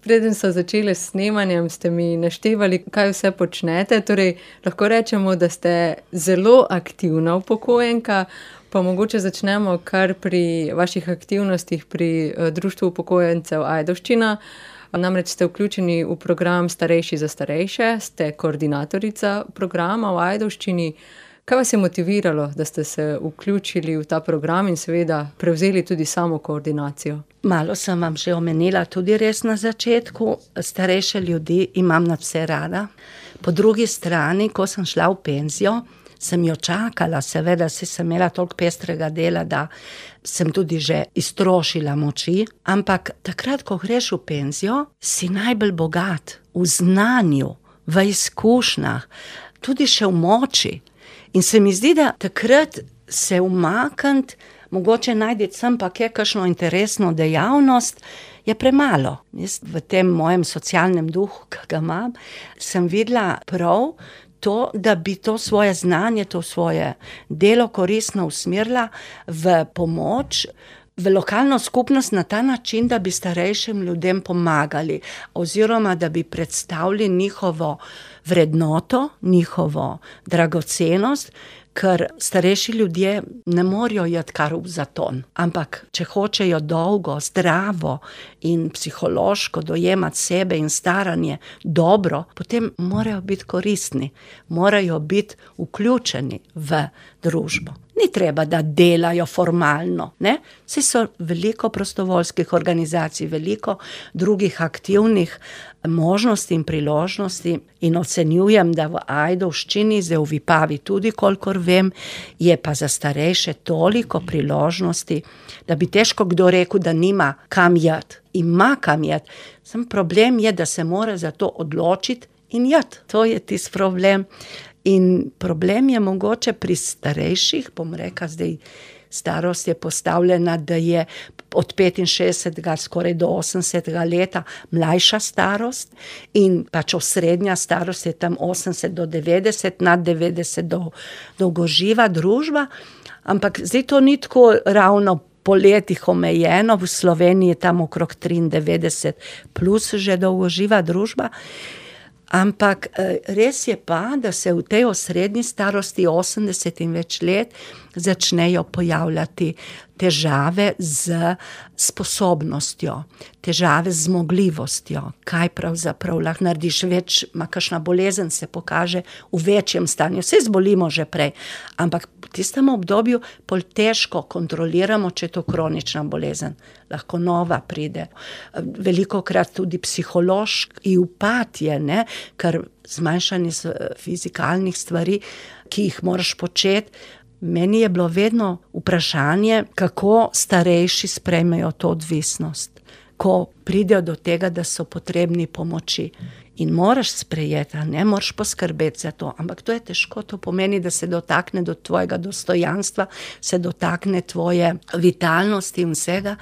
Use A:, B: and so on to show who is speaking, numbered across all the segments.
A: Preden so začeli s snemanjem, ste mi naštevali, kaj vse počnete. Torej, lahko rečemo, da ste zelo aktivna upokojenka, pa mogoče začnemo kar pri vaših aktivnostih pri Društvu upokojencev Ajdovščina. Namreč ste vključeni v program Starejši za starejše, ste koordinatorica programa v Ajdovščini. Kaj vas je motiviralo, da ste se vključili v ta program in seveda prevzeli tudi samo koordinacijo?
B: Malo sem vam že omenila tudi res na začetku. Starejše ljudi imam nadvse rada. Po drugi strani, ko sem šla v penzijo, sem jo čakala, seveda sem imela toliko pestrega dela, da sem tudi že iztrošila moči, ampak takrat, ko greš v penzijo, si najbolj bogat v znanju, v izkušnjah, tudi še v moči. In se mi zdi, da takrat se umakniti, mogoče najti sem pa kakšno interesno dejavnost, je premalo. Jaz v tem mojem socialnem duhu, ki ga imam, sem videla prav to, da bi to svoje znanje, to svoje delo koristno usmerila v pomoč, v lokalno skupnost na ta način, da bi starejšim ljudem pomagali oziroma da bi predstavili njihovo vrednoto, njihovo dragocenost, ker starejši ljudje ne morejo iti kar v zaton. Ampak če hočejo dolgo, zdravo in psihološko dojemati sebe in staranje dobro, potem morajo biti koristni, morajo biti vključeni v družbo. Ni treba, da delajo formalno, ne? Saj so veliko prostovoljskih organizacij, veliko drugih aktivnih možnosti in priložnosti in ocenjujem, da v Ajdovščini, zdaj v Vipavi tudi, kolikor vem, je pa za starejše toliko priložnosti, da bi težko kdo rekel, da nima kam iti. Ima kam iti. Sam problem je, da se mora za to odločiti in iti. To je tisti problem. In problem je mogoče pri starejših, bom rekla, zdaj starost je postavljena, da je od 65 skoraj do 80 leta mlajša starost in pač osrednja starost je tam 80 do 90, nad 90 dolgoživa družba, ampak zdaj to ni tako ravno po letih omejeno, v Sloveniji je tam okrog 93 plus že dolgoživa družba. Ampak res je pa, da se v tej osrednji starosti 80 in več let začnejo pojavljati težave z sposobnostjo, težave z zmogljivostjo, kaj pravzaprav lahko narediš več, kakšna bolezen se pokaže v večjem stanju, vse zbolimo že prej, ampak v tistem obdobju pol težko kontroliramo, če je to kronična bolezen, lahko nova pride. Velikokrat tudi psihološki upad je, ne, ker zmanjšanje fizikalnih stvari, ki jih moraš početi. Meni je bilo vedno vprašanje, kako starejši sprejmejo to odvisnost, ko pridejo do tega, da so potrebni pomoči. In moraš sprejeti, ne moraš poskrbeti za to, ampak to je težko, to pomeni, da se dotakne do tvojega dostojanstva, se dotakne tvoje vitalnosti in vsega.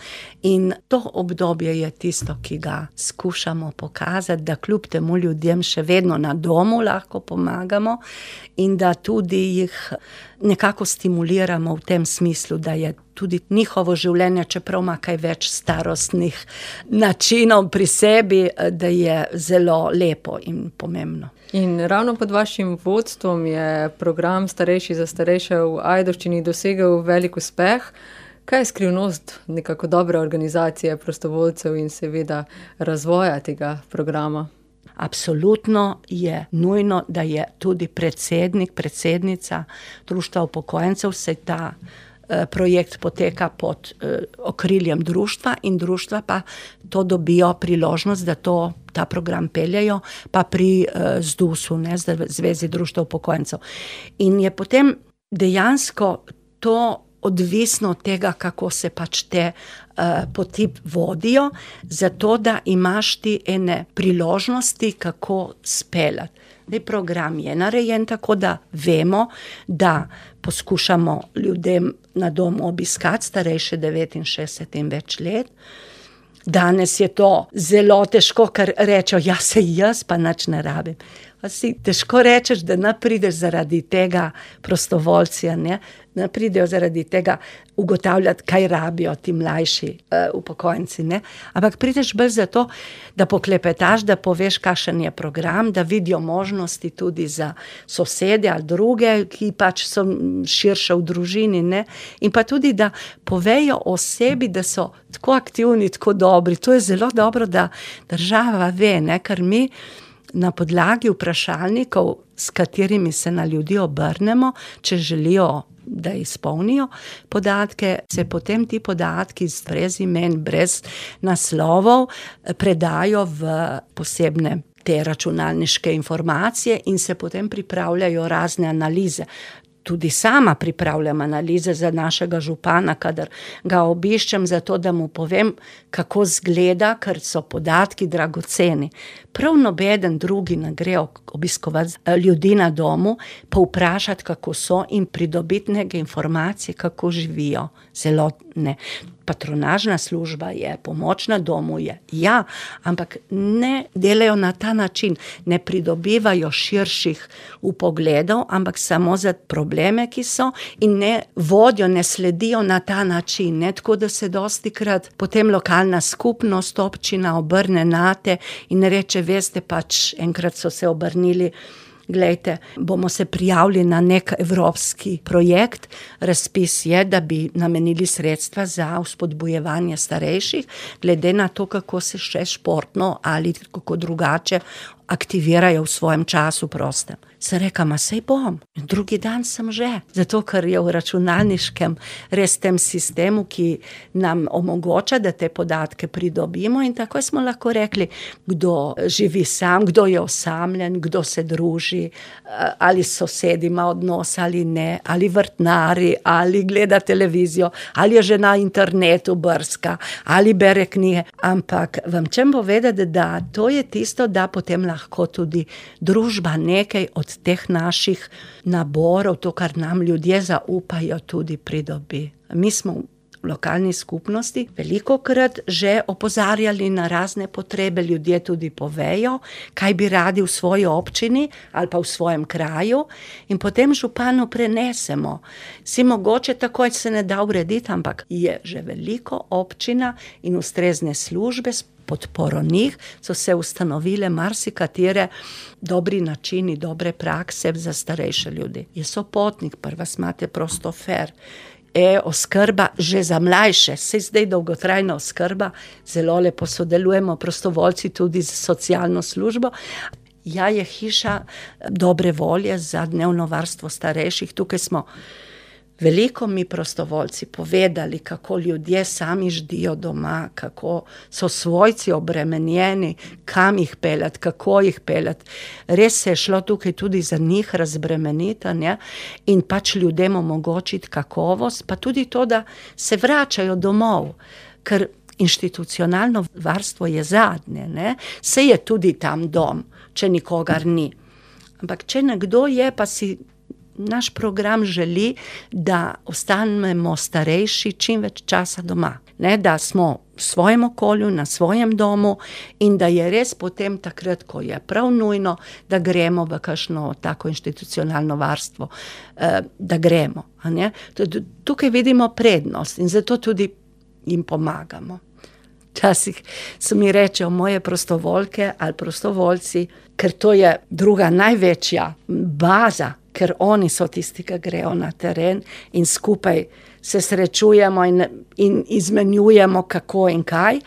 B: In to obdobje je tisto, ki ga skušamo pokazati, da kljub temu ljudem še vedno na domu lahko pomagamo in da tudi jih nekako stimuliramo v tem smislu, da je tudi njihovo življenje, čeprav ima kaj več starostnih načinov pri sebi, da je zelo lepo in pomembno.
A: In ravno pod vašim vodstvom je program Starejši za starejše v Ajdovščini dosegel velik uspeh. Kaj je skrivnost nekako dobre organizacije prostovoljcev in seveda razvoja tega programa?
B: Absolutno je nujno, da je tudi predsednik, predsednica Društva upokojencev, se ta projekt poteka pod okriljem društva in društva pa to dobijo priložnost, da ta program peljejo, pa pri ZDUS-u, ne, Zvezi društva upokojencev. In je potem dejansko to odvisno od tega, kako se pač te poti vodijo, zato da imaš ti ene priložnosti, kako speljati. Program je narejen tako, da vemo, da poskušamo ljudem na domu obiskati starejše 69 in več let. Danes je to zelo težko, ker rečejo, ja, saj jaz pa nič ne rabim. Si težko rečeš, da ne prideš zaradi tega prostovoljci, ne pridejo zaradi tega ugotavljati, kaj rabijo ti mlajši upokojenci, ne. Ampak prideš bolj zato, da poklepetaš, da poveš, kakšen je program, da vidijo možnosti tudi za sosede ali druge, ki pač so širše v družini, ne. In pa tudi, da povejo o sebi, da so tako aktivni, tako dobri. To je zelo dobro, da država ve, ne, ker mi na podlagi vprašalnikov, s katerimi se na ljudi obrnemo, če želijo, da izpolnijo podatke, se potem ti podatki brez imen, brez naslovov predajo v posebne te računalniške informacije in se potem pripravljajo razne analize. Tudi sama pripravljam analize za našega župana, kadar ga obiščem, zato da mu povem, kako izgleda, ker so podatki dragoceni. Prav nobeden drugi ne gre obiskovati ljudi na domu, pa vprašati, kako so, in pridobiti neke informacije, kako živijo. Zelo ne. Patronažna služba je, pomoč na domu je, ja, ampak ne delajo na ta način, ne pridobivajo širših vpogledov, ampak samo za probleme, ki so, in ne vodijo, ne sledijo na ta način, ne, tako da se dostikrat potem lokalna skupnost, občina obrne nate in reče, veste, pač enkrat so se obrnili, glejte, bomo se prijavili na nek evropski projekt, razpis je, da bi namenili sredstva za vzpodbujevanje starejših, glede na to, kako se še športno ali kako drugače aktivirajo v svojem času prostem. Sem rekla, saj bom. Drugi dan sem že. Zato, ker je v računalniškem res tem sistemu, ki nam omogoča, da te podatke pridobimo, in tako smo lahko rekli, kdo živi sam, kdo je osamljen, kdo se druži, ali s sosedi ima odnos ali ne, ali vrtnari, ali gleda televizijo, ali je že na internetu brska, ali bere knjige. Ampak vam čem povedati, da to je tisto, da potem lahko tudi družba nekaj od teh naših naborov, to, kar nam ljudje zaupajo, tudi pridobi. Mi smo v lokalni skupnosti velikokrat že opozarjali na razne potrebe, ljudje tudi povejo, kaj bi radi v svoji občini ali pa v svojem kraju, in potem županu prenesemo. Si mogoče takoj se ne da urediti, ampak je že veliko občina in ustrezne službe podporo njih, so se ustanovile marsikatere dobri načini, dobre prakse za starejše ljudi. Je sopotnik, prva imate prostofer, oskrba že za mlajše, saj zdaj dolgotrajna oskrba, zelo lepo sodelujemo prostovoljci tudi z socialno službo. Ja, je hiša dobre volje za dnevno varstvo starejših, tukaj smo veliko mi prostovoljci povedali, kako ljudje sami ždijo doma, kako so svojci obremenjeni, kam jih peljati, kako jih peljati. Res se je šlo tukaj tudi za njih razbremeniti, ne? In pač ljudem omogočiti kakovost, pa tudi to, da se vračajo domov, ker institucionalno varstvo je zadnje, ne? Se je tudi tam dom, če nikogar ni. Ampak če nekdo je, pa si naš program želi, da ostanemo starejši čim več časa doma, ne, da smo v svojem okolju, na svojem domu, in da je res potem takrat, ko je prav nujno, da gremo v kakšno tako institucionalno varstvo, da gremo, a ne. Tukaj vidimo prednost in zato tudi jim pomagamo. Včasih se mi rečejo moje prostovoljke ali prostovoljci, ker to je druga največja baza, ker oni so tisti, ki grejo na teren in skupaj se srečujemo in izmenjujemo kako in kaj.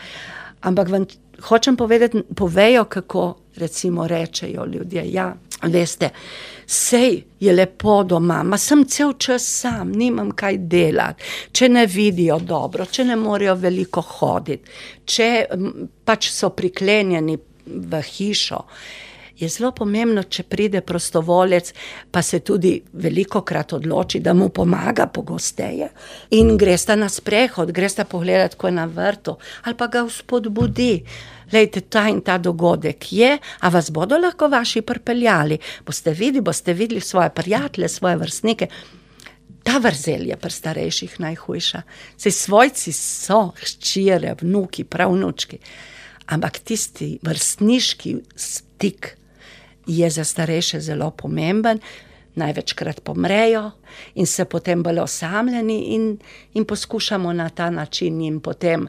B: Ampak vam hočem povedati, povejo, kako recimo rečejo ljudje, ja, veste, sej je lepo doma, sem cel čas sam, nimam kaj delati, če ne vidijo dobro, če ne morejo veliko hoditi, če pač so priklenjeni v hišo. Je zelo pomembno, če pride prostovoljec, pa se tudi velikokrat odloči, da mu pomaga pogosteje in gresta na sprehod, gresta pogledati, ko je na vrtu, ali pa ga vzpodbudi. Lejte, ta in ta dogodek je, a vas bodo lahko vaši pripeljali? Boste videli svoje prijatelje, svoje vrstnike. Ta vrzel je pri starejših najhujša. Saj svojci so hčere, vnuki, pravnučki, ampak tisti vrstniški stik je za starejše zelo pomemben. Največkrat pomrejo in se potem bolj osamljeni in poskušamo na ta način jim potem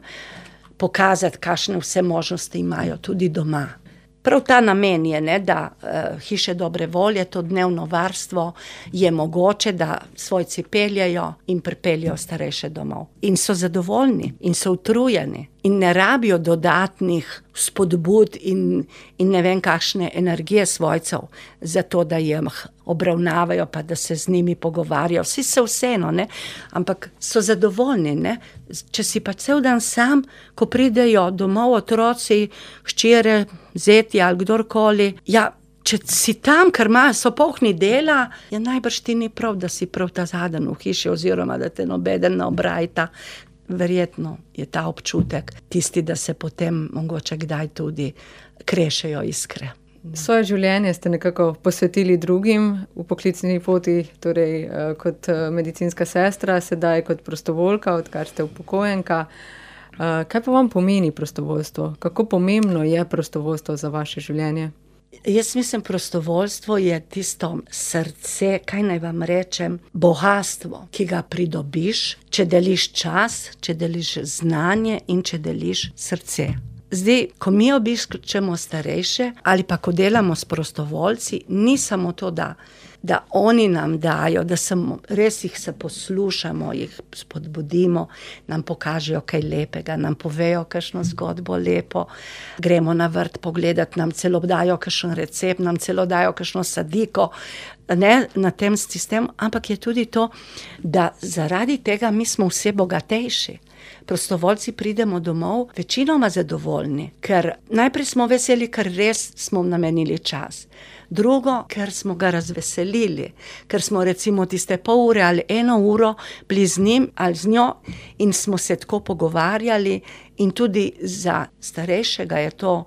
B: pokazati, kakšne vse možnosti imajo tudi doma. Prav ta namen je, ne, da hiše dobre volje, to dnevno varstvo je mogoče, da svojci peljejo in pripeljejo starejše domov. In so zadovoljni in so utrujeni in ne rabijo dodatnih spodbud in ne vem kakšne energije svojcev za to, da jih obravnavajo pa da se z njimi pogovarjajo. Vsi so vseeno, ne, ampak so zadovoljni, ne. Če si pa cel dan sam, ko pridejo domov otroci, hčere, zeti ali kdorkoli, ja, če si tam, ker so polni dela, ja najbrž ti ni prav, da si prav ta zadnji v hiši oziroma da te nobeden ne obrajta. Verjetno je ta občutek tisti, da se potem mogoče kdaj tudi krešejo iskre.
A: Svoje življenje ste nekako posvetili drugim v poklicni poti, torej kot medicinska sestra, sedaj kot prostovoljka, odkar ste upokojenka. Kaj pa vam pomeni prostovoljstvo? Kako pomembno je prostovoljstvo za vaše življenje?
B: Jaz mislim, prostovoljstvo je tisto srce, kaj naj vam rečem, bogastvo, ki ga pridobiš, če deliš čas, če deliš znanje in če deliš srce. Zdaj, ko mi obiščemo starejše ali pa ko delamo s prostovoljci, ni samo to, da oni nam dajo, da res jih se poslušamo, jih spodbudimo, nam pokažejo kaj lepega, nam povejo kakšno zgodbo lepo, gremo na vrt pogledati, nam celo dajo kakšen recept, nam celo dajo kakšno sadiko, ne na tem sistemu, ampak je tudi to, da zaradi tega mi smo vse bogatejši. Prostovoljci pridemo domov večinoma zadovoljni, ker najprej smo veseli, ker res smo namenili čas. Drugo, ker smo ga razveselili, ker smo recimo tiste pol ure ali 1 uro bili z njim ali z njo in smo se tako pogovarjali in tudi za starejšega je to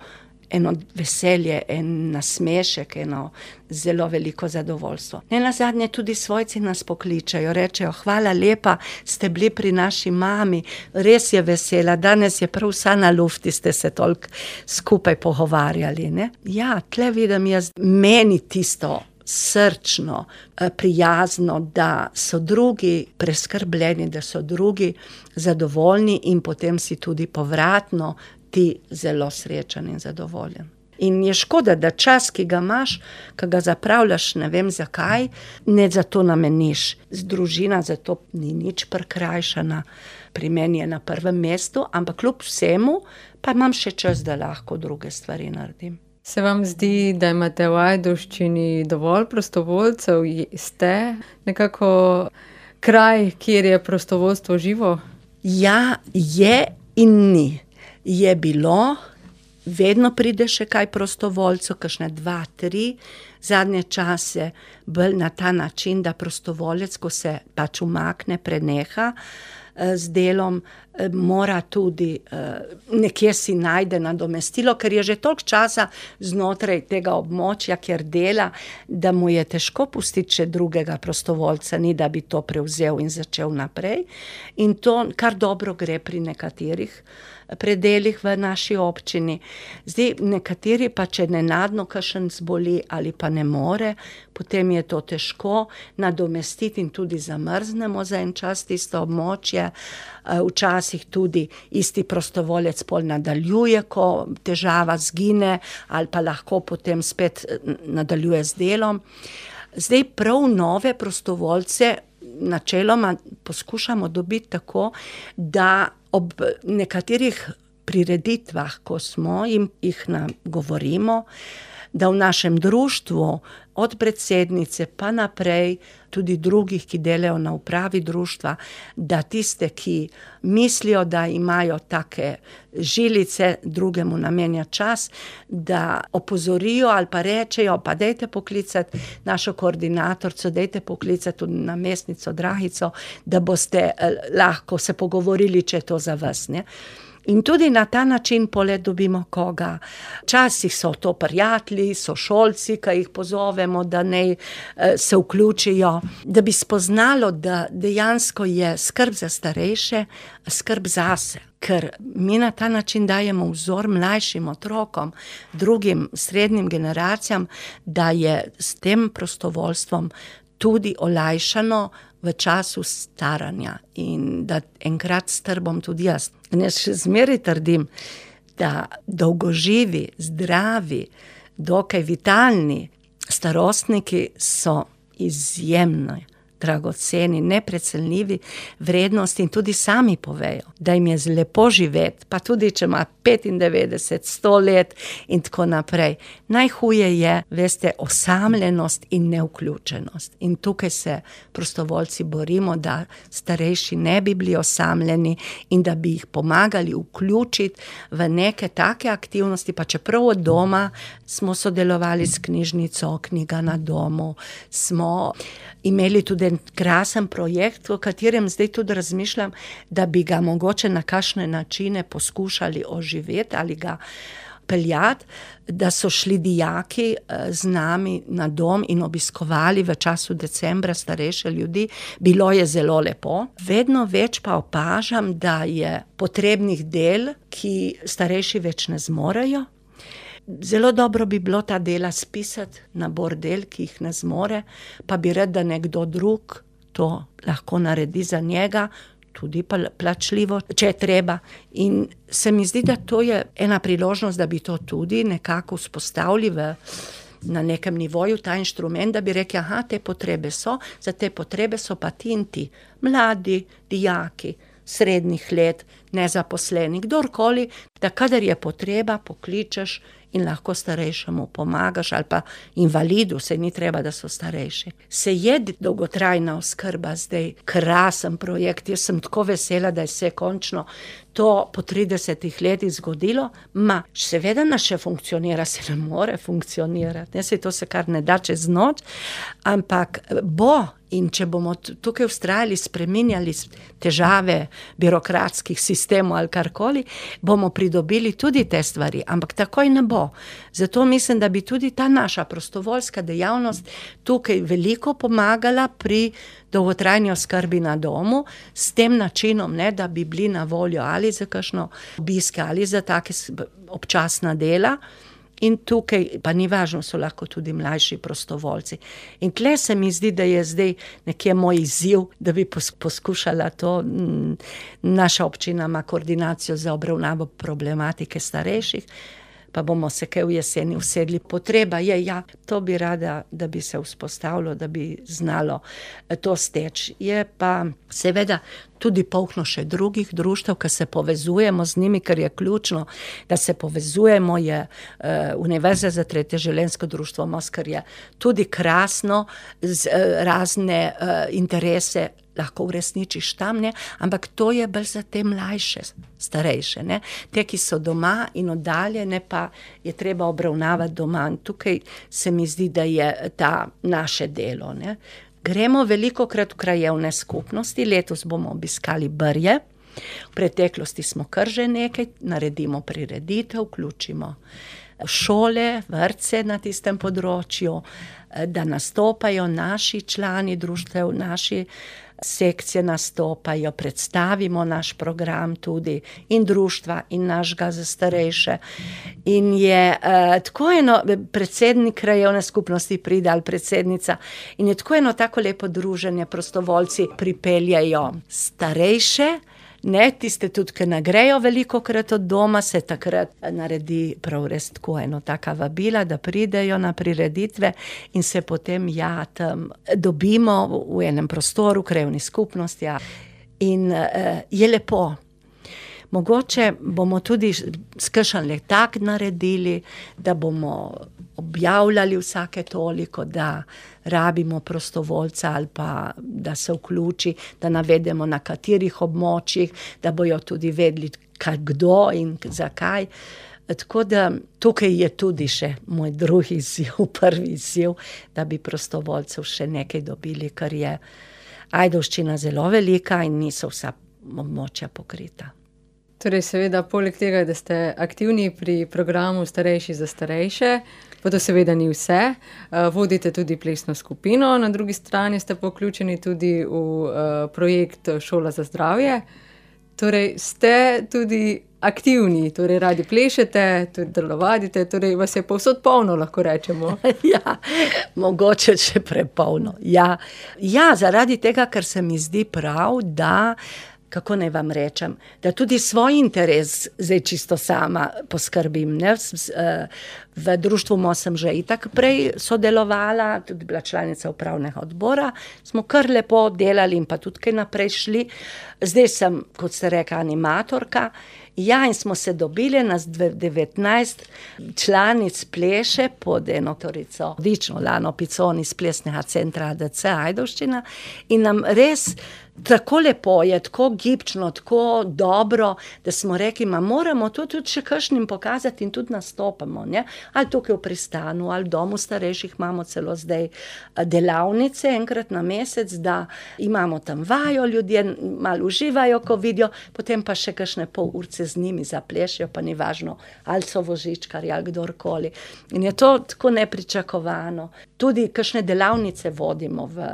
B: eno veselje, en nasmešek, eno zelo veliko zadovoljstvo. Nenazadnje tudi svojci nas pokličejo, rečejo, hvala lepa, ste bili pri naši mami, res je vesela, danes je prav vsa na lufti, ste se toliko skupaj pogovarjali, ne. Ja, tle vidim jaz meni tisto srčno, prijazno, da so drugi preskrbljeni, da so drugi zadovoljni in potem si tudi povratno ti zelo srečen in zadovoljen. In je škoda, da čas, ki ga imaš, ki ga zapravljaš, ne vem zakaj, ne za to nameniš. Družina za to ni nič prikrajšana, pri meni je na prvem mestu, ampak kljub vsemu pa imam še čas, da lahko druge stvari naredim.
A: Se vam zdi, da imate v Ajdovščini dovolj prostovoljcev? Ste nekako kraj, kjer je prostovoljstvo živo?
B: Ja, je in ni. Je bilo, vedno pride še kaj prostovoljcev, kakšne 2, 3, zadnje čase bolj na ta način, da prostovoljec, ko se pač umakne, preneha z delom, mora tudi nekje si najde nadomestilo, ker je že toliko časa znotraj tega območja, kjer dela, da mu je težko pustiti še drugega prostovoljca, ni da bi to prevzel in začel naprej. In to kar dobro gre pri nekaterih predelih v naši občini. Zdaj, nekateri pa, če nenadno kakšen zboli ali pa ne more, potem je to težko nadomestiti in tudi zamrznemo za en čas tisto območje. Včasih tudi isti prostovoljec pol nadaljuje, ko težava zgine ali pa lahko potem spet nadaljuje z delom. Zdaj prav nove prostovoljce načeloma poskušamo dobiti tako, da ob nekaterih prireditvah, ko smo jih nagovorimo, da v našem društvu od predsednice pa naprej, tudi drugih, ki delajo na upravi društva, da tiste, ki mislijo, da imajo take žilice, drugemu namenja čas, da opozorijo ali pa rečejo, pa dajte poklicati našo koordinatorico, dajte poklicati tudi namestnico Dragico, da boste lahko se pogovorili, če je to za vas, ne. In tudi na ta način poleg dobimo koga. Včasih so to prijatelji, sošolci, ki jih pozovemo, da naj se vključijo, da bi spoznalo, da dejansko je skrb za starejše, skrb zase. ker mi na ta način dajemo vzor mlajšim otrokom, drugim srednjim generacijam, da je s tem prostovoljstvom tudi olajšano v času staranja in da enkrat star bom tudi jaz. In jaz še zmeraj trdim, da dolgoživi, zdravi, dokaj vitalni starostniki so izjemno dragoceni, neprecenljivi vrednosti in tudi sami povejo, da jim je lepo živeti, pa tudi če ima 95, 100 let in tako naprej. Najhuje je, veste, osamljenost in nevključenost. In tukaj se prostovoljci borimo, da starejši ne bi bili osamljeni in da bi jih pomagali vključiti v neke take aktivnosti, pa čeprav od doma smo sodelovali s knjižnico Knjiga na domu, smo imeli tudi krasen projekt, o katerem zdaj tudi razmišljam, da bi ga mogoče na kakšne načine poskušali oživeti ali ga peljati, da so šli dijaki z nami na dom in obiskovali v času decembra starejše ljudi. Bilo je zelo lepo. Vedno več pa opažam, da je potrebnih del, ki starejši več ne zmorejo. Zelo dobro bi bilo ta dela spisati, nabor del, ki jih ne zmore, pa bi rad, da nekdo drug to lahko naredi za njega, tudi plačljivo, če je treba. In se mi zdi, da to je ena priložnost, da bi to tudi nekako vzpostavili na nekem nivoju, ta inštrument, da bi rekli, aha, te potrebe so, za te potrebe so pa ti in ti, mladi, dijaki, srednjih let, nezaposleni, kdorkoli, da kadar je potreba, pokličeš in lahko starejšemu pomagaš, ali pa invalidu, saj ni treba, da so starejši. Se je dolgotrajna oskrba zdaj krasen projekt, jaz sem tako vesela, da je se končno to po 30 letih zgodilo, seveda nas še funkcionira, se ne more funkcionirati, saj to se kar ne da čez noč, ampak bo. In če bomo tukaj vztrajali, spreminjali težave birokratskih sistemov ali karkoli, bomo pridobili tudi te stvari, ampak takoj ne bo. Zato mislim, da bi tudi ta naša prostovoljska dejavnost tukaj veliko pomagala pri dolgotrajni oskrbi na domu, s tem načinom, ne, da bi bili na voljo ali za kakšno obiske ali za take občasna dela. In tukaj, pa ni važno, so lahko tudi mlajši prostovoljci. In tle se mi zdi, da je zdaj nekje moj izziv, da bi poskušala to. Naša občina ima koordinacijo za obravnavo problematike starejših, pa bomo se kaj v jeseni usedli. Potreba je, to bi rada, da bi se vzpostavilo, da bi znalo to steči. Je pa seveda tudi polno še drugih društev, ki se povezujemo z njimi, ker je ključno, da se povezujemo, je Univerza za tretje življenjsko društvo Most, ker je tudi krasno, z razne interese lahko uresničiš tam, ne, ampak to je bolj za te mlajše, starejše, ne, te, ki so doma in oddaljene, pa je treba obravnavati doma. In tukaj se mi zdi, da je ta naše delo, ne. Gremo velikokrat v krajevne skupnosti, letos bomo obiskali Brje, v preteklosti smo kar že nekaj, naredimo prireditev, vključimo šole, vrtce na tistem področju, da nastopajo naši člani društev, naši sekcije nastopajo, predstavimo naš program tudi in društva in našega za starejše. In je tako eno, predsednik krajevne skupnosti pride ali predsednica, in je tako eno tako lepo druženje, prostovoljci pripeljajo starejše, ne, tiste tudi, ki ne grejo velikokrat od doma, se takrat naredi prav res tako eno taka vabila, da pridejo na prireditve in se potem tam dobimo v enem prostoru, krajevni skupnosti. In je lepo. Mogoče bomo tudi kakšen letak naredili, da bomo objavljali vsake toliko, da rabimo prostovoljca ali pa da se vključi, da navedemo na katerih območjih, da bojo tudi vedeli, kdo in zakaj. Tako da tukaj je tudi še moj drugi izziv, prvi izziv, da bi prostovoljcev še nekaj dobili, ker je Ajdovščina zelo velika in niso vsa območja pokrita.
A: Torej, seveda, poleg tega, da ste aktivni pri programu Starejši za starejše, pa to seveda ni vse, vodite tudi plesno skupino, na drugi strani ste vključeni tudi v projekt Šola za zdravje. Torej, ste tudi aktivni, torej radi plešete, tudi telovadite, torej vas je povsod polno, lahko rečemo.
B: Ja, mogoče še prepolno. Ja, zaradi tega, ker se mi zdi prav, da, kako naj vam rečem, da tudi svoj interes zdaj čisto sama poskrbim, ne. V društvu sem že itak prej sodelovala, tudi bila članica upravnega odbora, smo kar lepo delali in pa tudi kaj naprej šli. Zdaj sem, kot ste rekla, animatorka. Ja, in smo se dobili, nas 19 članic pleše pod eno torico odlično Lano Piconi iz plesnega centra ADC Ajdovščina in nam res tako lepo je, tako gibčno, tako dobro, da smo rekli, moramo to tudi še kakšnim pokazati in tudi nastopamo, ne. Ali tukaj v Pristanu, ali v domu starejših imamo celo zdaj delavnice enkrat na mesec, da imamo tam vajo, ljudje malo uživajo, ko vidijo, potem pa še kakšne pol urce z njimi zaplešijo, pa ni važno, ali so vozičkarji ali kdorkoli. In je to tako nepričakovano. Tudi kakšne delavnice vodimo v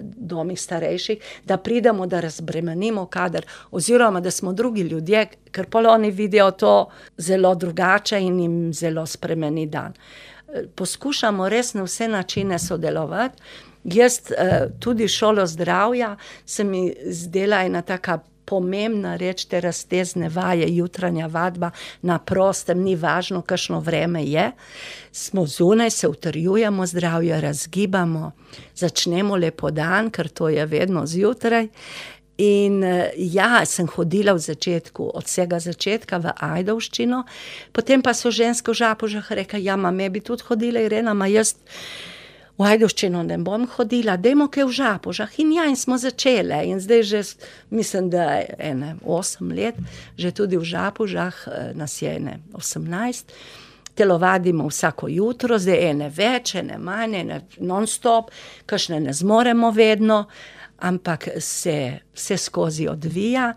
B: domih starejših, da pridemo, da razbremenimo kader, oziroma da smo drugi ljudje, ker pol oni vidijo to zelo drugače in jim zelo spremeni dan. Poskušamo res na vse načine sodelovati. Jaz tudi šolo zdravja se mi zdela ena taka pomembna reč, te raztezne vaje, jutranja vadba na prostem, ni važno, kakšno vreme je. Smo zunaj, se utrjujemo zdravje, razgibamo, začnemo lepo dan, ker to je vedno zjutraj. In ja, sem hodila v začetku, od vsega začetka v Ajdovščino, potem pa so ženske v Žapožah rekle, ja, me bi tudi hodila, Irena, jaz v Ajdovščino ne bom hodila, dajmo kaj v Žapožah. In ja, in smo začele. In zdaj že, mislim, da 8 let, že tudi v Žapožah, nas je 18, telovadimo vsako jutro, zdaj ene več, ene manj, ene non-stop, kakšne ne zmoremo vedno, ampak se vse skozi odvija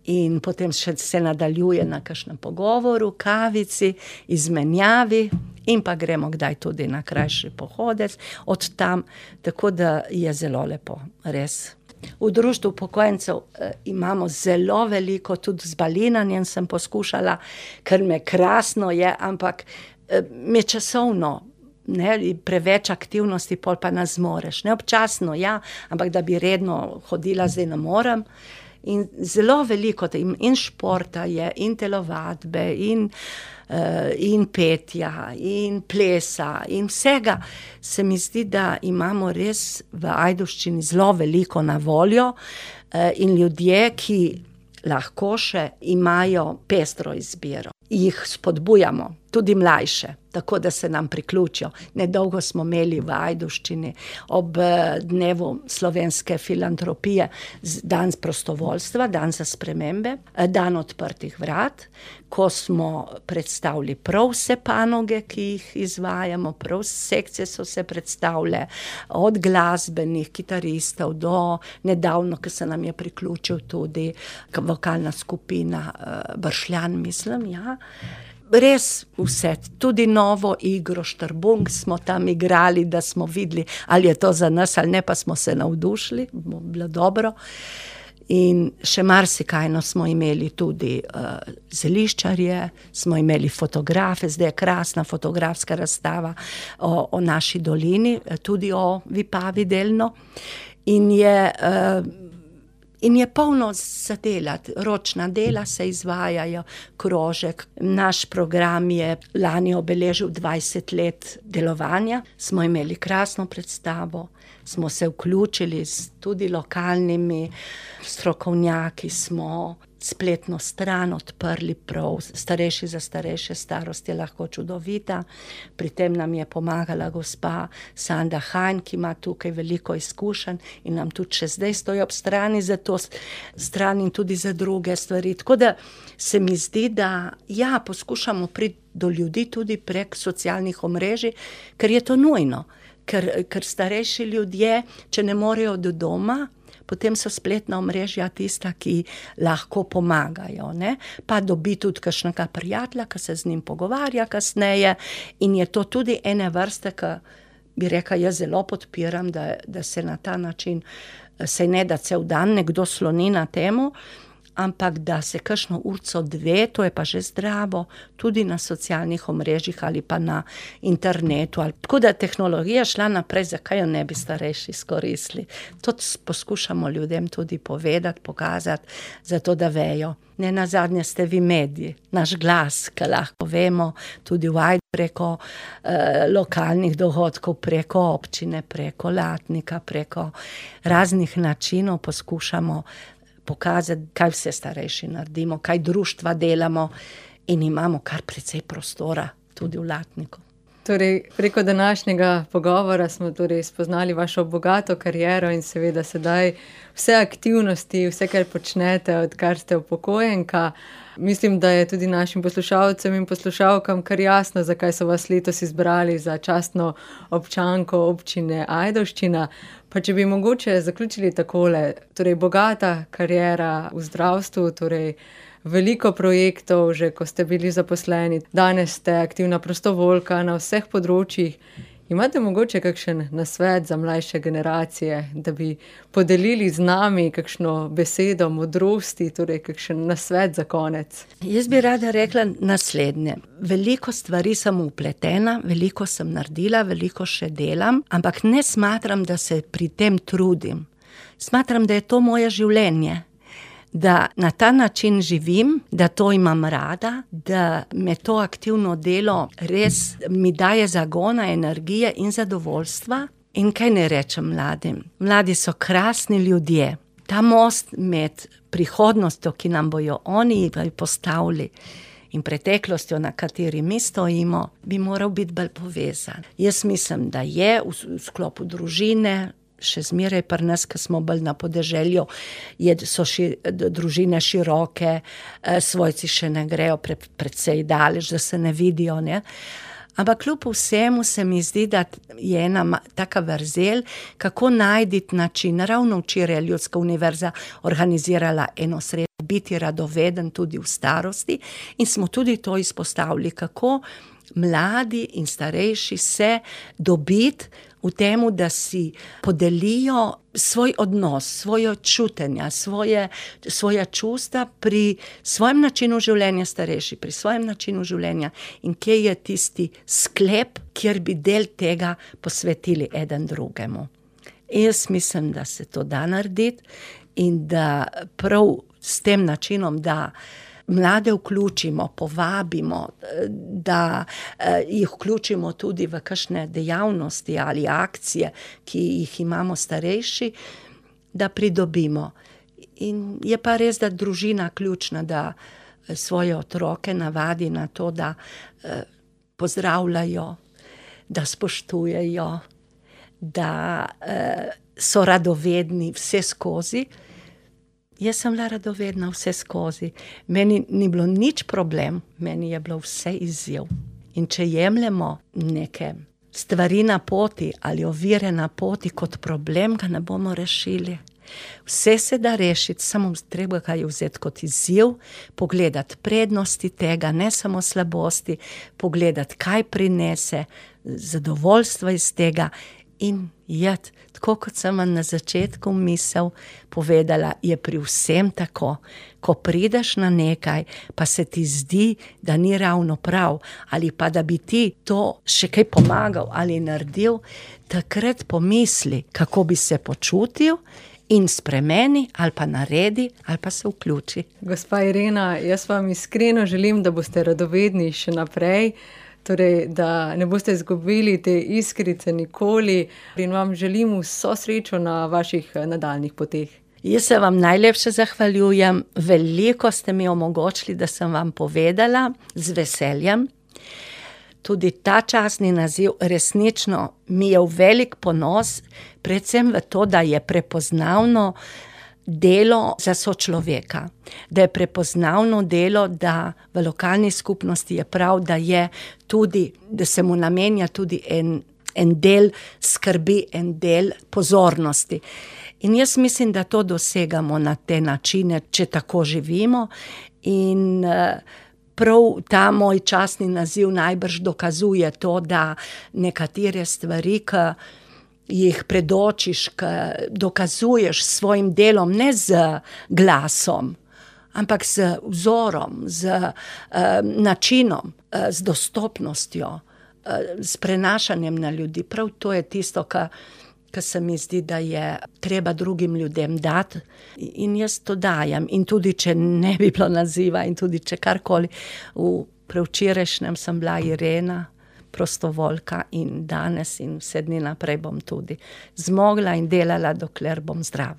B: in potem še se nadaljuje na kakšnem pogovoru, kavici, izmenjavi in pa gremo kdaj tudi na krajši pohodec od tam, tako da je zelo lepo, res. V društvu upokojencev imamo zelo veliko, tudi z balinanjem sem poskušala, ker me krasno je, ampak me časovno, ne, preveč aktivnosti, pol pa ne zmoreš, ne, občasno, ja, ampak da bi redno hodila, zdaj ne morem. In zelo veliko in športa je, in telovadbe, in petja, in plesa, in vsega. Se mi zdi, da imamo res v Ajdovščini zelo veliko na voljo, in ljudje, ki lahko še imajo pestro izbiro. Jih spodbujamo, tudi mlajše, tako da se nam priključijo. Nedolgo smo imeli v Ajdovščini ob dnevu slovenske filantropije dan prostovoljstva, dan za spremembe, dan odprtih vrat, ko smo predstavili prav vse panoge, ki jih izvajamo, prav sekcije so se predstavile, od glasbenih kitaristov do nedavno, ko se nam je priključil tudi vokalna skupina Bršljan, mislim, ja. Res vse, tudi novo igro Štrbunk smo tam igrali, da smo videli, ali je to za nas ali ne, pa smo se navdušili, bilo dobro. In še marsikaj smo imeli tudi zeliščarje, smo imeli fotografe, zdaj je krasna fotografska razstava o naši dolini, tudi o Vipavi delno. In je polno za delati, ročna dela se izvajajo, krožek. Naš program je lani obeležil 20 let delovanja, smo imeli krasno predstavo, smo se vključili s tudi lokalnimi strokovnjaki, smo spletno stran odprli prav, starejši za starejše, starost je lahko čudovita. Pri tem nam je pomagala gospa Sanda Hajn, ki ima tukaj veliko izkušenj in nam tudi še zdaj stoji ob strani za to stran in tudi za druge stvari. Tako da se mi zdi, da ja, poskušamo priti do ljudi tudi prek socialnih omrežij, ker je to nujno. Ker starejši ljudje, če ne morejo do doma, potem so spletna omrežja tista, ki lahko pomagajo, ne. Pa dobi tudi kakšnega prijatelja, ki se z njim pogovarja kasneje in je to tudi ene vrste, ki bi rekla, jaz zelo podpiram, da se na ta način, saj ne da cel dan nekdo sloni na temu, ampak da se kakšno urco dve, to je pa že zdravo, tudi na socialnih omrežjih ali pa na internetu. Tako da tehnologija šla naprej, zakaj jo ne bi starejši izkoristili. To poskušamo ljudem tudi povedati, pokazati, zato da vejo. Ne nazadnje ste vi mediji, naš glas, ki lahko vemo tudi v Ajdi preko lokalnih dogodkov, preko občine, preko Latnika, preko raznih načinov poskušamo pokazati, kaj vse starejši naredimo, kaj društva delamo in imamo kar precej prostora tudi v Latniku.
A: Torej, preko današnjega pogovora smo torej spoznali vašo bogato kariero in seveda sedaj vse aktivnosti, vse, kar počnete, odkar ste upokojenka. Mislim, da je tudi našim poslušalcem in poslušalkam kar jasno, zakaj so vas letos izbrali za častno občanko občine Ajdovščina. Pa če bi mogoče zaključili takole, torej bogata kariera v zdravstvu, torej veliko projektov, že ko ste bili zaposleni, danes ste aktivna prostovoljka na vseh področjih. Imate mogoče kakšen nasvet za mlajše generacije, da bi podelili z nami kakšno besedo modrosti, torej kakšen nasvet za konec?
B: Jaz bi rada rekla naslednje. Veliko stvari sem vpletena, veliko sem naredila, veliko še delam, ampak ne smatram, da se pri tem trudim. Smatram, da je to moje življenje. Da na ta način živim, da to imam rada, da me to aktivno delo res mi daje zagona, energije in zadovoljstva. In kaj ne rečem mladim? Mladi so krasni ljudje. Ta most med prihodnostjo, ki nam bojo oni postavili, in preteklostjo, na kateri mi stojimo, bi moral biti bolj povezan. Jaz mislim, da je v sklopu družine, še zmeraj pri nas, ki smo bolj na podeželju, so družine široke, svojci še ne grejo precej daleč, da se ne vidijo, ne. Ampak kljub vsemu se mi zdi, da je ena taka vrzel, kako najti način. Ravno včeraj je Ljudska univerza organizirala eno srečanje, biti radoveden tudi v starosti, in smo tudi to izpostavili, kako mladi in starejši se dobiti v temu, da si podelijo svoj odnos, svoje čutenja, svoja čustva pri svojem načinu življenja starejši, pri svojem načinu življenja, in kje je tisti sklep, kjer bi del tega posvetili eden drugemu. Jaz mislim, da se to da narediti in da prav s tem načinom, da mlade vključimo, povabimo, da jih vključimo tudi v kakšne dejavnosti ali akcije, ki jih imamo starejši, da pridobimo. In je pa res, da družina ključna, da svoje otroke navadi na to, da pozdravljajo, da spoštujejo, da so radovedni vse skozi. Jaz sem bila radovedna vse skozi. Meni ni bilo nič problem, meni je bilo vse izziv. In če jemljemo neke stvari na poti ali ovire na poti kot problem, ga ne bomo rešili. Vse se da rešiti, samo treba ga je vzeti kot izziv, pogledati prednosti tega, ne samo slabosti, pogledati, kaj prinese, zadovoljstvo iz tega in jeti. Tako kot sem vam na začetku misel povedala, je pri vsem tako. Ko prideš na nekaj, pa se ti zdi, da ni ravno prav, ali pa da bi ti to še kaj pomagal ali naredil, takrat pomisli, kako bi se počutil, in spremeni ali pa naredi ali pa se vključi.
A: Gospa Irena, jaz vam iskreno želim, da boste radovedni še naprej, torej, da ne boste izgubili te iskrice nikoli, in vam želim vso srečo na vaših nadaljnjih poteh.
B: Jaz se vam najlepše zahvaljujem, veliko ste mi omogočili, da sem vam povedala, z veseljem. Tudi ta častni naziv resnično mi je v velik ponos, predvsem v to, da je prepoznavno delo za sočloveka, da je prepoznavno delo, da v lokalni skupnosti je prav, da je tudi, da se mu namenja tudi en del skrbi, en del pozornosti. In jaz mislim, da to dosegamo na te načine, če tako živimo, in prav ta moj častni naziv najbrž dokazuje to, da nekatere stvari, ki jih predočiš, ki dokazuješ s svojim delom, ne z glasom, ampak z vzorom, z načinom, z dostopnostjo, s prenašanjem na ljudi. Prav to je tisto, kar se mi zdi, da je treba drugim ljudem dati, in jaz to dajem. In tudi, če ne bi bilo naziva, in tudi, če karkoli. Prevčerajšnjem sem bila Irena, prostovoljka, in danes in vse dni naprej bom tudi zmogla in delala, dokler bom zdrava.